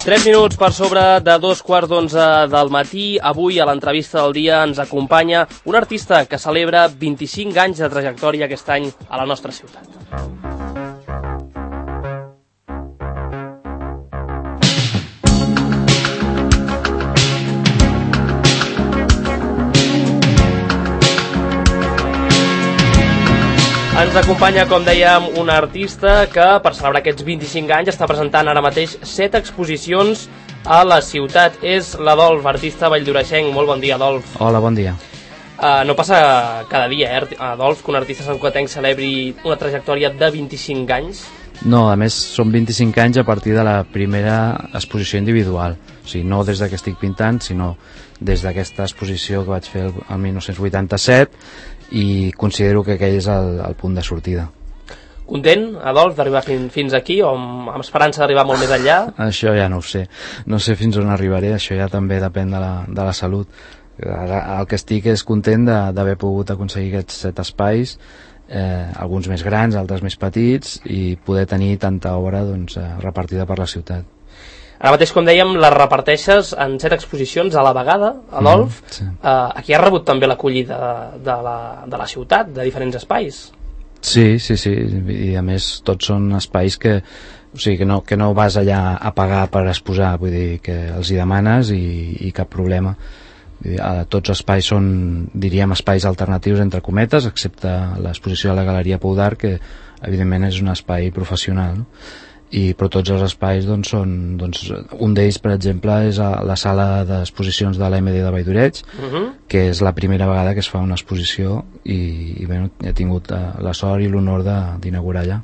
3 minuts per sobre de 2:15 del matí. Avui, a l'entrevista del dia, ens acompanya un artista que celebra 25 anys de trajectòria aquest any a la nostra ciutat. Ens acompanya, com dèiem, un artista que, per celebrar aquests 25 anys, està presentant ara mateix 7 exposicions a la ciutat. És l'Adolf, artista valldoreixenc. Molt bon dia, Adolf. Hola, bon dia. No passa cada dia, Adolf, que un artista santcugatenc celebri una trajectòria de 25 anys? No, a més, són 25 anys a partir de la primera exposició individual. O sigui, no des que estic pintant, sinó des d'aquesta exposició que vaig fer el 1987, i considero que aquell és el punt de sortida. Content, Adolf, d'arribar fins aquí, o amb esperança d'arribar molt més enllà? Això ja no ho sé. No sé fins on arribaré, això ja també depèn de la salut. El que estic és content d'haver pogut aconseguir aquests 7 espais, alguns més grans, altres més petits, i poder tenir tanta obra repartida per la ciutat. Ara mateix, com dèiem, la reparteixes en 7 exposicions a la vegada, Adolf. Sí. Aquí has rebut també l'acollida de la ciutat, de diferents espais. Sí, i a més tots són espais que no vas allà a pagar per exposar, vull dir que els hi demanes i cap problema. Tots els espais són, diríem, espais alternatius entre cometes, excepte l'exposició de la Galeria Pou d'Art, que evidentment és un espai professional, no? Però tots els espais són, un d'ells, per exemple, és la sala d'exposicions de l'EMD de Valldoreig, que és la primera vegada que es fa una exposició, i bé, he tingut la sort i l'honor d'inaugurar allà.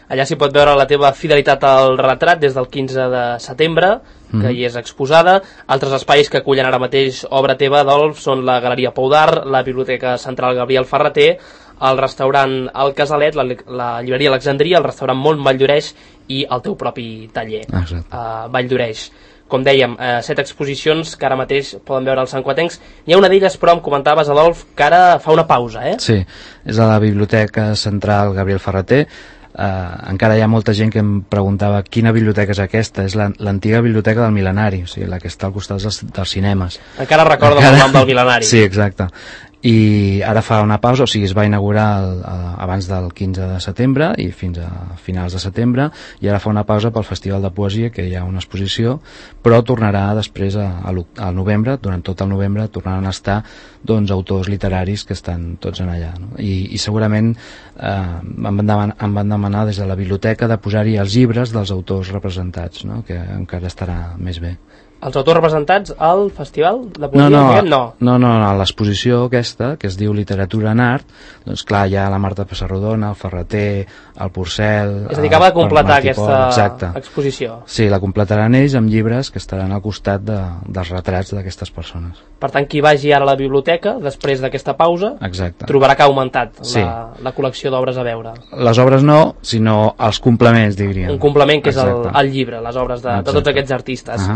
Allà s'hi pot veure la teva fidelitat al retrat des del 15 de setembre, que hi és exposada. Altres espais que acullen ara mateix obra teva, Adolf, són la Galeria Pou d'Art, la Biblioteca Central Gabriel Ferrater, el restaurant El Casalet, la llibreria Alexandria, el restaurant Mont Valldoreix i el teu propi taller, Valldoreix. Com dèiem, 7 exposicions que ara mateix poden veure els santcugatencs. N'hi ha una d'elles, però, em comentaves, Adolf, que ara fa una pausa, eh? Sí, és a la Biblioteca Central Gabriel Ferrater. Encara hi ha molta gent que em preguntava quina biblioteca és aquesta. És l'antiga biblioteca del Mil·lenari, o sigui, la que està al costat dels cinemes. Encara recorda el nom del Mil·lenari. Sí, exacte. I ara fa una pausa, o sigui, es va inaugurar abans del 15 de setembre i fins a finals de setembre, i ara fa una pausa pel Festival de Poesia, que hi ha una exposició, però tornarà després al novembre, durant tot el novembre tornaran a estar autors literaris que estan tots en allà, no? I segurament em van demanar des de la biblioteca de posar-hi els llibres dels autors representats, no? Que encara estarà més bé. Els autors representats al Festival de Poesia? No, a l'exposició aquesta, que es diu Literatura en Art, doncs clar, hi ha la Marta Pessarrodona, el Ferrater, el Porcel... És a dir, acaba de completar aquesta exposició. Sí, la completaran ells amb llibres que estaran al costat dels retrats d'aquestes persones. Per tant, qui vagi ara a la biblioteca, després d'aquesta pausa, trobarà que ha augmentat la col·lecció d'obres a veure. Les obres no, sinó els complements, diríem. Un complement que és el llibre, les obres de tots aquests artistes.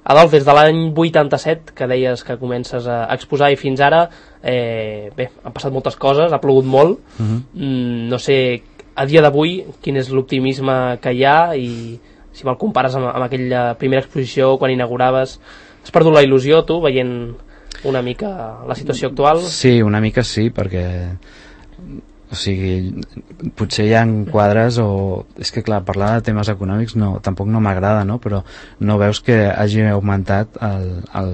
Adolf, des de l'any 87, que deies que comences a exposar, i fins ara, bé, han passat moltes coses, ha plogut molt. No sé, a dia d'avui, quin és l'optimisme que hi ha, i si me'l compares amb aquella primera exposició, quan inauguraves, has perdut la il·lusió, tu, veient una mica la situació actual? Sí, una mica sí, perquè... O sigui, potser hi ha quadres és que clar, parlar de temes econòmics tampoc no m'agrada, no? Però no veus que hagi augmentat el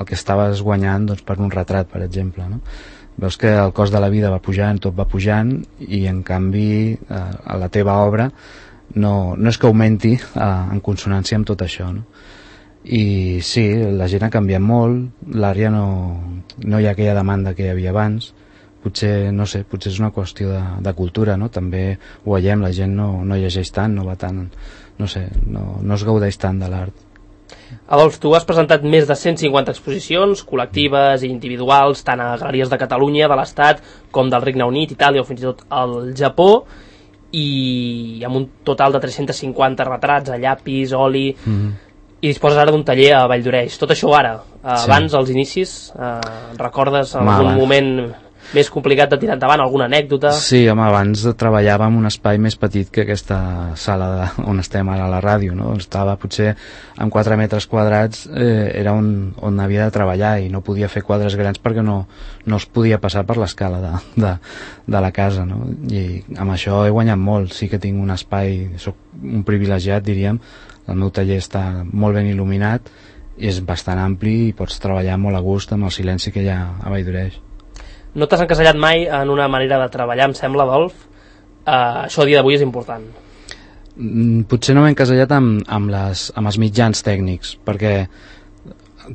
que estaves guanyant per un retrat, per exemple, no? Veus que el cost de la vida va pujant, tot va pujant, i en canvi a la teva obra no és que augmenti en consonància amb tot això, no? I sí, la gent ha canviat molt, l'àrea no hi ha aquella demanda que hi havia abans. Potser, no sé, potser és una qüestió de cultura, no? També ho veiem, la gent no llegeix tant, no va tant, no sé, no es gaudeix tant de l'art. Adolf, tu has presentat més de 150 exposicions, col·lectives i individuals, tant a galeries de Catalunya, de l'Estat, com del Regne Unit, Itàlia o fins i tot al Japó, i amb un total de 350 retrats a llapis, oli... I disposes ara d'un taller a Valldoreix. Tot això ara, abans, als inicis, recordes algun moment més complicat de tirar endavant, alguna anècdota? Sí, home, abans treballava en un espai més petit que aquesta sala on estem ara a la ràdio, no? Estava potser en 4 metres quadrats, era on havia de treballar i no podia fer quadres grans perquè no es podia passar per l'escala de la casa, no? I amb això he guanyat molt, sí que tinc un espai, soc un privilegiat, diríem, el meu taller està molt ben il·luminat, és bastant ampli i pots treballar molt a gust amb el silenci que hi ha a Valldoreix. No t'has encasellat mai en una manera de treballar, em sembla, Adolf? Això a dia d'avui és important. Potser no m'he encasellat amb els mitjans tècnics, perquè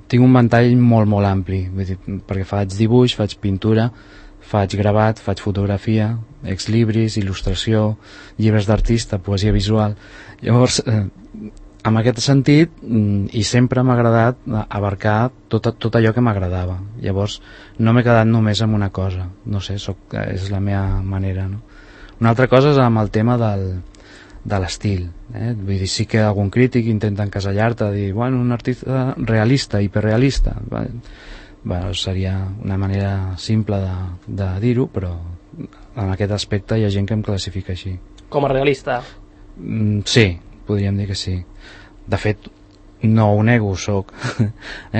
tinc un ventall molt, molt ampli, vull dir, perquè faig dibuix, faig pintura, faig gravat, faig fotografia, exlibris, il·lustració, llibres d'artista, poesia visual. Llavors, en aquest sentit, i sempre m'ha agradat abarcar tot allò que m'agradava. Llavors, no m'he quedat només amb una cosa. No sé, és la meva manera, no? Una altra cosa és amb el tema de l'estil. Vull dir, sí que algun crític intenta encasellar-te, dir, bueno, un artista realista, hiperrealista. Bueno, seria una manera simple de dir-ho, però en aquest aspecte hi ha gent que em classifica així. Com a realista? Sí, podríem dir que sí. De fet, no ho nego, soc,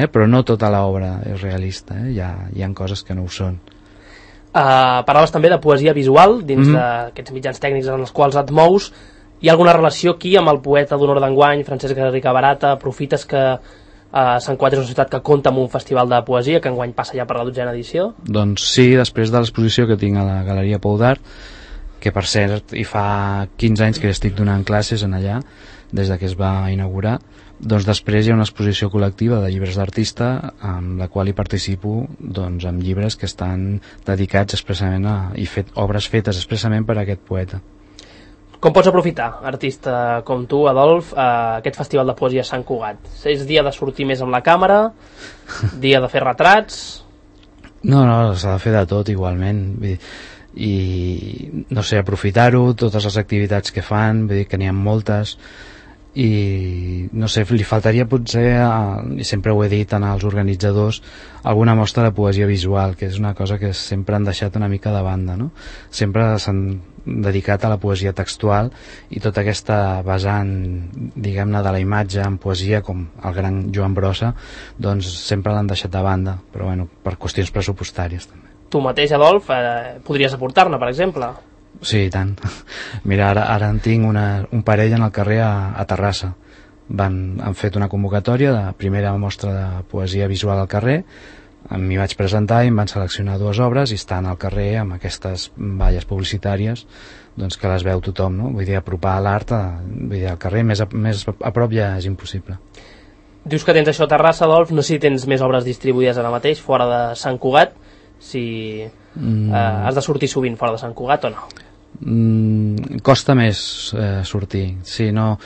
però no tota l'obra és realista, hi ha coses que no ho són. Parlaves també de poesia visual dins d'aquests mitjans tècnics en els quals et mous. Hi ha alguna relació aquí amb el poeta d'honor d'enguany, Francesc Garriga Barata? Aprofites que Sant Cugat és una ciutat que compta amb un festival de poesia que enguany passa ja per la 12a edició? Doncs sí, després de l'exposició que tinc a la Galeria Pou d'Art, que per cert hi fa 15 anys que estic donant classes en allà, des que es va inaugurar, doncs després hi ha una exposició col·lectiva de llibres d'artista amb la qual hi participo, doncs, amb llibres que estan dedicats expressament obres fetes expressament per a aquest poeta. Com pots aprofitar, artista com tu, Adolf, aquest festival de poesia a Sant Cugat? És dia de sortir més amb la càmera? Dia de fer retrats? No, s'ha de fer de tot igualment. I no sé, aprofitar-ho, totes les activitats que fan, vull dir que n'hi ha moltes, i no sé, li faltaria potser, i sempre ho he dit als organitzadors, alguna mostra de poesia visual, que és una cosa que sempre han deixat una mica de banda, no? Sempre s'han dedicat a la poesia textual i tota aquesta vessant, diguem-ne, de la imatge en poesia, com el gran Joan Brossa, doncs sempre l'han deixat de banda, però bueno, per qüestions pressupostàries també. Tu mateix, Adolf, podries aportar-ne, per exemple? Sí, i tant. Mira, ara en tinc un parell en el carrer a Terrassa. Han fet una convocatòria de primera mostra de poesia visual al carrer, m'hi vaig presentar i em van seleccionar 2 obres i estan al carrer amb aquestes valles publicitàries, doncs que les veu tothom, no? Vull dir, apropar l'art al carrer, més a prop ja és impossible. Dius que tens això a Terrassa, Adolf, no sé si tens més obres distribuïdes ara mateix fora de Sant Cugat, si has de sortir sovint fora de Sant Cugat o no? Costa més sortir, sí, no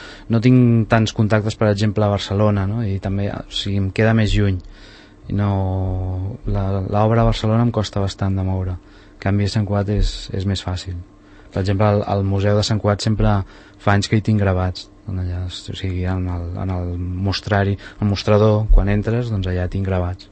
tinc tants contactes, per exemple, a Barcelona, no? I també, o sigui, em queda més lluny i no, l'obra a Barcelona em costa bastant de moure, en canvi a Sant Cugat és més fàcil. Per exemple, al Museu de Sant Cugat sempre fa anys que hi tinc gravats allà, o sigui, en el mostrador, quan entres, doncs allà tinc gravats.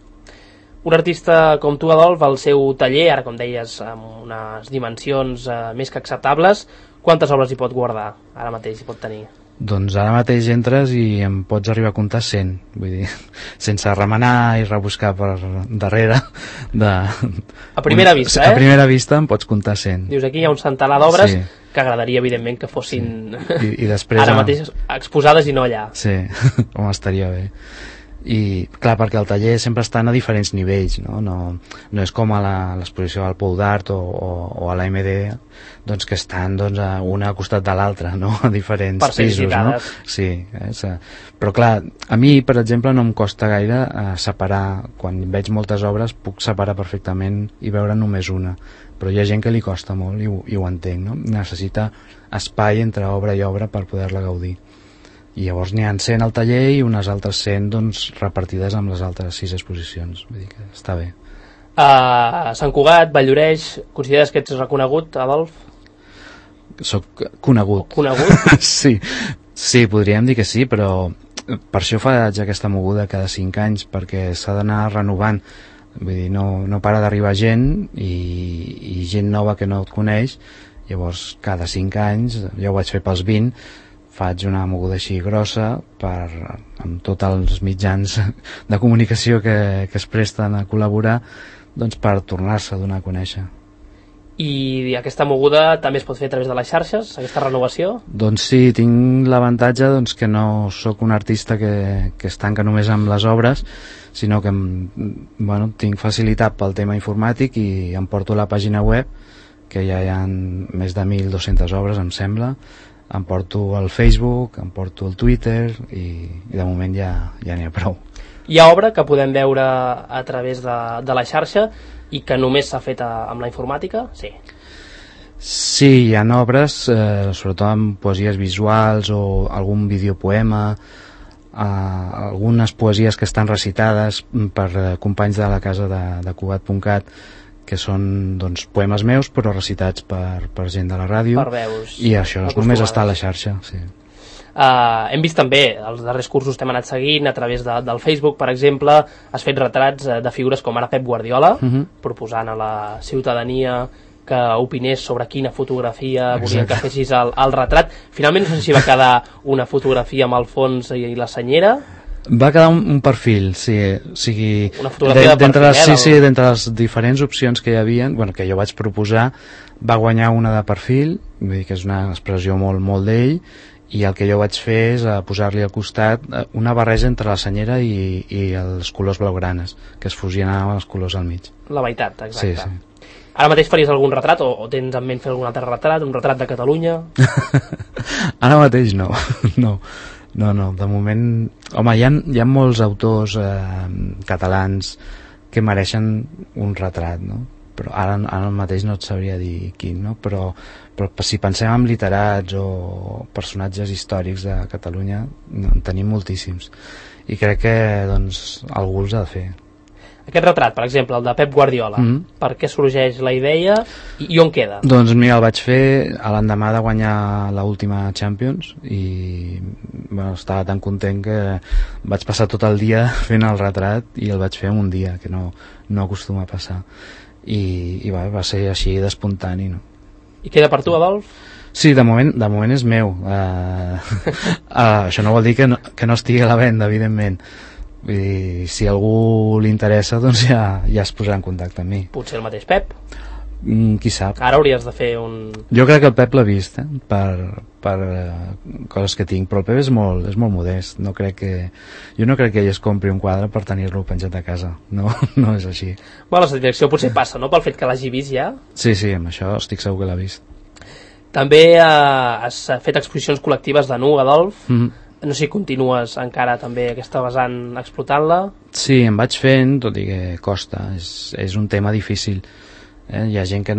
Un artista com tu, Adolf, al seu taller, ara com deies, amb unes dimensions més que acceptables, quantes obres hi pot guardar ara mateix, hi pot tenir? Doncs ara mateix entres i em pots arribar a comptar 100, vull dir, sense remenar i rebuscar per darrere. A primera vista, A primera vista em pots comptar 100. Dius, aquí hi ha un centenar d'obres, sí, que agradaria, evidentment, que fossin I després, ara mateix exposades i no allà. Sí, home, estaria bé. I clar, perquè el taller sempre estan a diferents nivells, no és com a l'exposició al Pou d'Art o a la MD, doncs que estan una al costat de l'altra, no? A diferents pisos, no? Sí, però clar, a mi, per exemple, no em costa gaire separar, quan veig moltes obres puc separar perfectament i veure només una, però hi ha gent que li costa molt i ho entenc, no? Necessita espai entre obra i obra per poder-la gaudir. I llavors n'hi ha 100 al taller i unes altres 100 doncs, repartides amb les altres 6 exposicions. Vull dir que està bé. Sant Cugat, Valldoreix, consideres que ets reconegut, Adolf? Soc conegut. Conegut? Sí, podríem dir que sí, però per això faig aquesta moguda cada 5 anys, perquè s'ha d'anar renovant vull dir, no para d'arribar gent i gent nova que no et coneix. Llavors cada 5 anys, jo ho vaig fer pels 20, faig una moguda així grossa amb tots els mitjans de comunicació que es presten a col·laborar, doncs per tornar-se a donar a conèixer. I aquesta moguda també es pot fer a través de les xarxes, aquesta renovació? Doncs sí, tinc l'avantatge que no sóc un artista que es tanca només amb les obres, sinó que tinc facilitat pel tema informàtic i em porto la pàgina web, que ja hi ha més de 1.200 obres, em sembla. Em porto el Facebook, em porto el Twitter i de moment ja n'hi ha prou. Hi ha obra que podem veure a través de la xarxa i que només s'ha fet amb la informàtica? Sí. Sí, hi ha obres, sobretot amb poesies visuals o algun videopoema, algunes poesies que estan recitades per companys de la casa de Cugat.cat, que són poemes meus però recitats per gent de la ràdio, per veus, i això només està a la xarxa. Sí. Hem vist també els darrers cursos que hem anat seguint a través del Facebook, per exemple. Has fet retrats de figures com ara Pep Guardiola, proposant a la ciutadania que opinés sobre quina fotografia volien que fessis el retrat. Finalment no sé si va quedar una fotografia amb el fons i la senyera. Va quedar un perfil, sí, o sigui, una fotografia de perfil, d'entre les diferents opcions que hi havia, que jo vaig proposar, va guanyar una de perfil, vull dir que és una expressió molt, molt d'ell, i el que jo vaig fer és posar-li al costat una barreja entre la senyera i els colors blaugranes, que es fusionaven els colors al mig. La veritat, exacte. Sí. Ara mateix faries algun retrat o tens en ment fer algun altre retrat, un retrat de Catalunya? Ara mateix no, no, de moment... Home, hi ha molts autors catalans que mereixen un retrat, no? Però ara mateix no et sabria dir quin, no? Però si pensem en literats o personatges històrics de Catalunya, en tenim moltíssims. I crec que algú els ha de fer. Aquest retrat, per exemple, el de Pep Guardiola, per què sorgeix la idea i on queda? Doncs mira, el vaig fer a l'endemà de guanyar l'última Champions i estava tan content que vaig passar tot el dia fent el retrat i el vaig fer en un dia, que no acostuma a passar. I va ser així d'espontani, no? I queda per tu, Adolf? Sí, de moment és meu. Això no vol dir que no estigui a la venda, evidentment. Vull dir, si a algú li interessa, doncs ja es posarà en contacte amb mi. Potser el mateix Pep? Qui sap. Ara hauries de fer un... Jo crec que el Pep l'ha vist, per coses que tinc, però el Pep és molt modest. Jo no crec que ell es compri un quadre per tenir-lo penjat a casa. No és així. Bueno, la satisfacció potser passa, no?, pel fet que l'hagi vist ja. Sí, amb això estic segur que l'ha vist. També has fet exposicions col·lectives de nu, Adolf. No sé si continues encara també aquesta vessant explotant-la. Sí, em vaig fent, tot i que costa, és un tema difícil. Hi ha gent que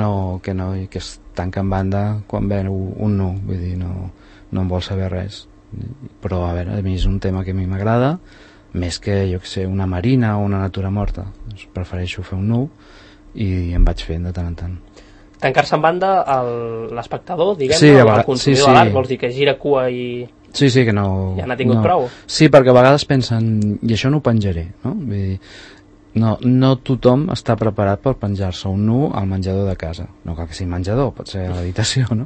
es tanca en banda quan veu un nu, vull dir, no en vol saber res. Però a veure, a mi és un tema que a mi m'agrada, més que, jo que sé, una marina o una natura morta. Doncs prefereixo fer un nu i em vaig fent de tant en tant. Tancar-se en banda l'espectador, diguem-ne, sí, el consumidor de l'art, vols dir que gira cua i... Sí, que no... Ja n'ha tingut prou. Sí, perquè a vegades pensen, i això no ho penjaré, no? Vull dir, no tothom està preparat per penjar-se un nu al menjador de casa. No cal que sigui menjador, pot ser a l'habitació, no?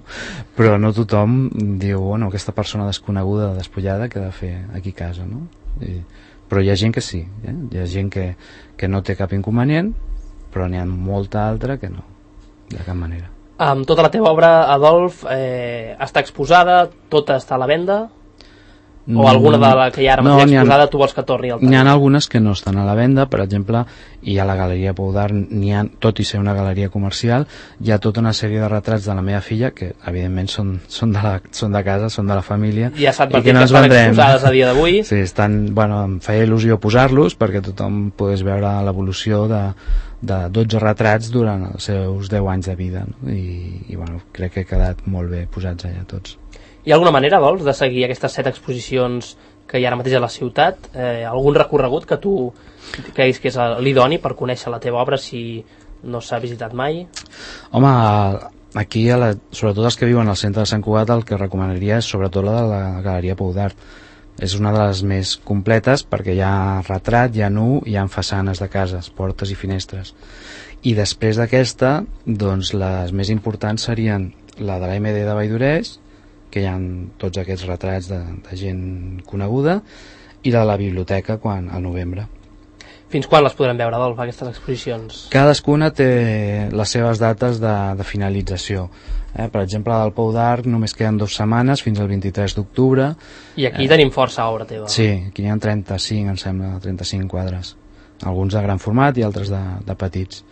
Però no tothom diu, bueno, aquesta persona desconeguda, despullada, què ha de fer aquí a casa, no? Però hi ha gent que sí, hi ha gent que no té cap inconvenient, però n'hi ha molta altra que no, de cap manera. Amb tota la teva obra, Adolf, està exposada, tota està a la venda? O alguna de la que hi ha ara mateix exposada tu vols que torni al N'hi ha algunes que no estan a la venda, per exemple, hi ha la Galeria Pou d'Art, tot i ser una galeria comercial, hi ha tota una sèrie de retrats de la meva filla, que evidentment són de casa, són de la família. Ja s'ha advertit que estan exposades a dia d'avui. Sí, em feia il·lusió posar-los perquè tothom pogués veure l'evolució de 12 retrats durant els seus 10 anys de vida, no? I crec que ha quedat molt bé posats allà tots. Hi ha alguna manera, vols, de seguir aquestes 7 exposicions que hi ha ara mateix a la ciutat? Algun recorregut que tu creguis que és l'idoni per conèixer la teva obra si no s'ha visitat mai? Home, aquí, sobretot els que viuen al centre de Sant Cugat, el que recomanaria és sobretot la de la Galeria Pou d'Art, És una de les més completes perquè hi ha retrat, hi ha nu, hi ha façanes de cases, portes i finestres. I després d'aquesta, doncs les més importants serien la de la MD de Valldoreix, que hi ha tots aquests retrats de gent coneguda, i la de la biblioteca al novembre. Fins quan les podrem veure, Adolf, aquestes exposicions? Cadascuna té les seves dates de finalització. Per exemple, la del Pou d'Arc només queden 2 setmanes, fins al 23 d'octubre. I aquí tenim força obra teva. Sí, aquí hi ha 35, em sembla, 35 quadres. Alguns de gran format i altres de petits.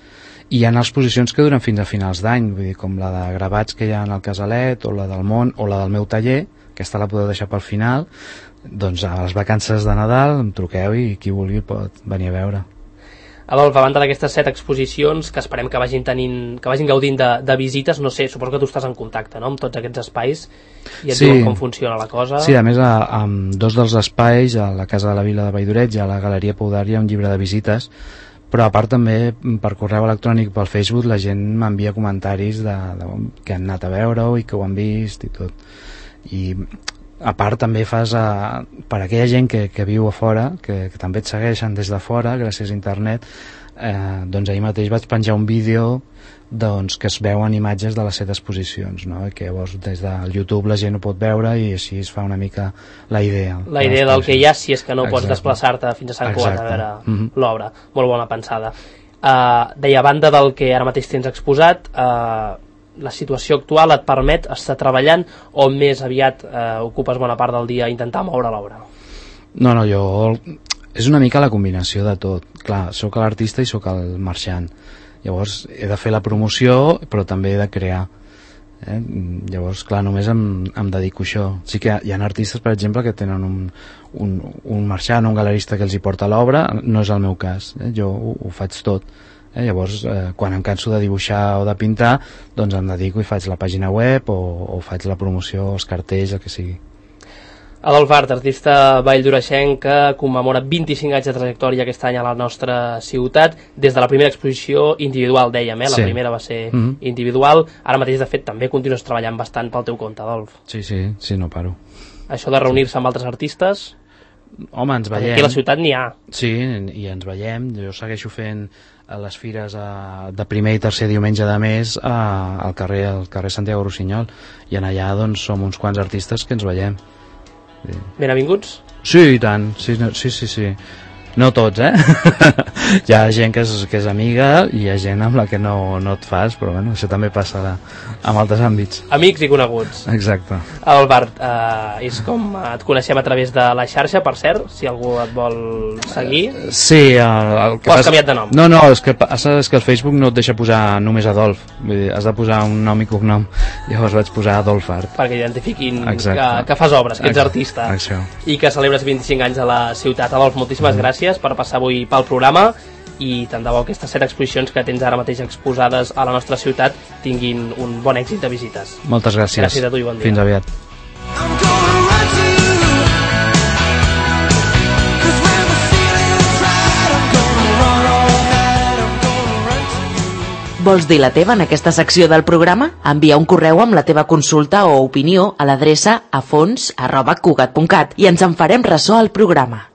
I hi ha exposicions que duren fins a finals d'any, vull dir, com la de gravats que hi ha al Casalet, o la del Món, o la del meu taller, aquesta la podeu deixar pel final. Doncs a les vacances de Nadal em truqueu i qui vulgui pot venir a veure. Adolf, a banda d'aquestes 7 exposicions que esperem que vagin gaudint de visites, no sé, suposo que tu estàs en contacte, no?, amb tots aquests espais i et diuen com funciona la cosa. Sí, a més, amb 2 dels espais, a la Casa de la Vila de Valldoreix i a la Galeria Pou d'Arc, hi ha un llibre de visites, però a part també per correu electrònic, pel Facebook, la gent m'envia comentaris que han anat a veure-ho i que ho han vist i tot. I a part també fas per aquella gent que viu a fora, que també et segueixen des de fora gràcies a internet, doncs ahir mateix vaig penjar un vídeo que es veuen imatges de les 7 exposicions, no? Que llavors des del YouTube la gent ho pot veure i així es fa una mica la idea del que hi ha, si és que no pots desplaçar-te fins a Sant Cugat a veure l'obra. Molt bona pensada. Deia, a banda del que ara mateix tens exposat, la situació actual et permet estar treballant o més aviat ocupes bona part del dia a intentar moure l'obra? No, jo... És una mica la combinació de tot. Clar, sóc l'artista i sóc el marxant. Llavors he de fer la promoció, però també he de crear. Llavors, clar, només em dedico a això. Sí que hi ha artistes, per exemple, que tenen un marxant o un galerista que els hi porta l'obra. No és el meu cas. Jo ho faig tot. Llavors, quan em canso de dibuixar o de pintar, doncs em dedico i faig la pàgina web o faig la promoció, els cartells, el que sigui. Adolf Art, artista valldoreixenc que commemora 25 anys de trajectòria aquest any a la nostra ciutat, des de la primera exposició individual, dèiem, la primera va ser individual, ara mateix de fet també continues treballant bastant pel teu compte, Adolf. Sí, no paro. Això de reunir-se amb altres artistes? Home, ens veiem. Aquí a la ciutat n'hi ha. Sí, i ens veiem. Jo segueixo fent les fires de primer i tercer diumenge de mes al carrer Santiago Rossinyol, i en allà doncs som uns quants artistes que ens veiem. Benvinguts? Sí, i tant, sí. No tots, Hi ha gent que és amiga i hi ha gent amb la que no et fas, però bueno, això també passa en altres àmbits. Amics i coneguts. Exacte. Adolf Art, és com et coneixem a través de la xarxa, per cert, si algú et vol seguir. Sí. O has canviat de nom? No, és que el Facebook no et deixa posar només Adolf, vull dir, has de posar un nom i cognom, llavors vaig posar Adolf Art. Perquè identifiquin que fas obres, que ets artista. I que celebres 25 anys a la ciutat. Adolf, moltíssimes gràcies per passar avui pel programa i tant de bo aquestes 7 exposicions que tens ara mateix exposades a la nostra ciutat tinguin un bon èxit de visites. Moltes gràcies. Gràcies a tu i bon dia. Fins aviat. Vols dir la teva en aquesta secció del programa? Envia un correu amb la teva consulta o opinió a l'adreça afons@cugat.cat i ens en farem ressò al programa.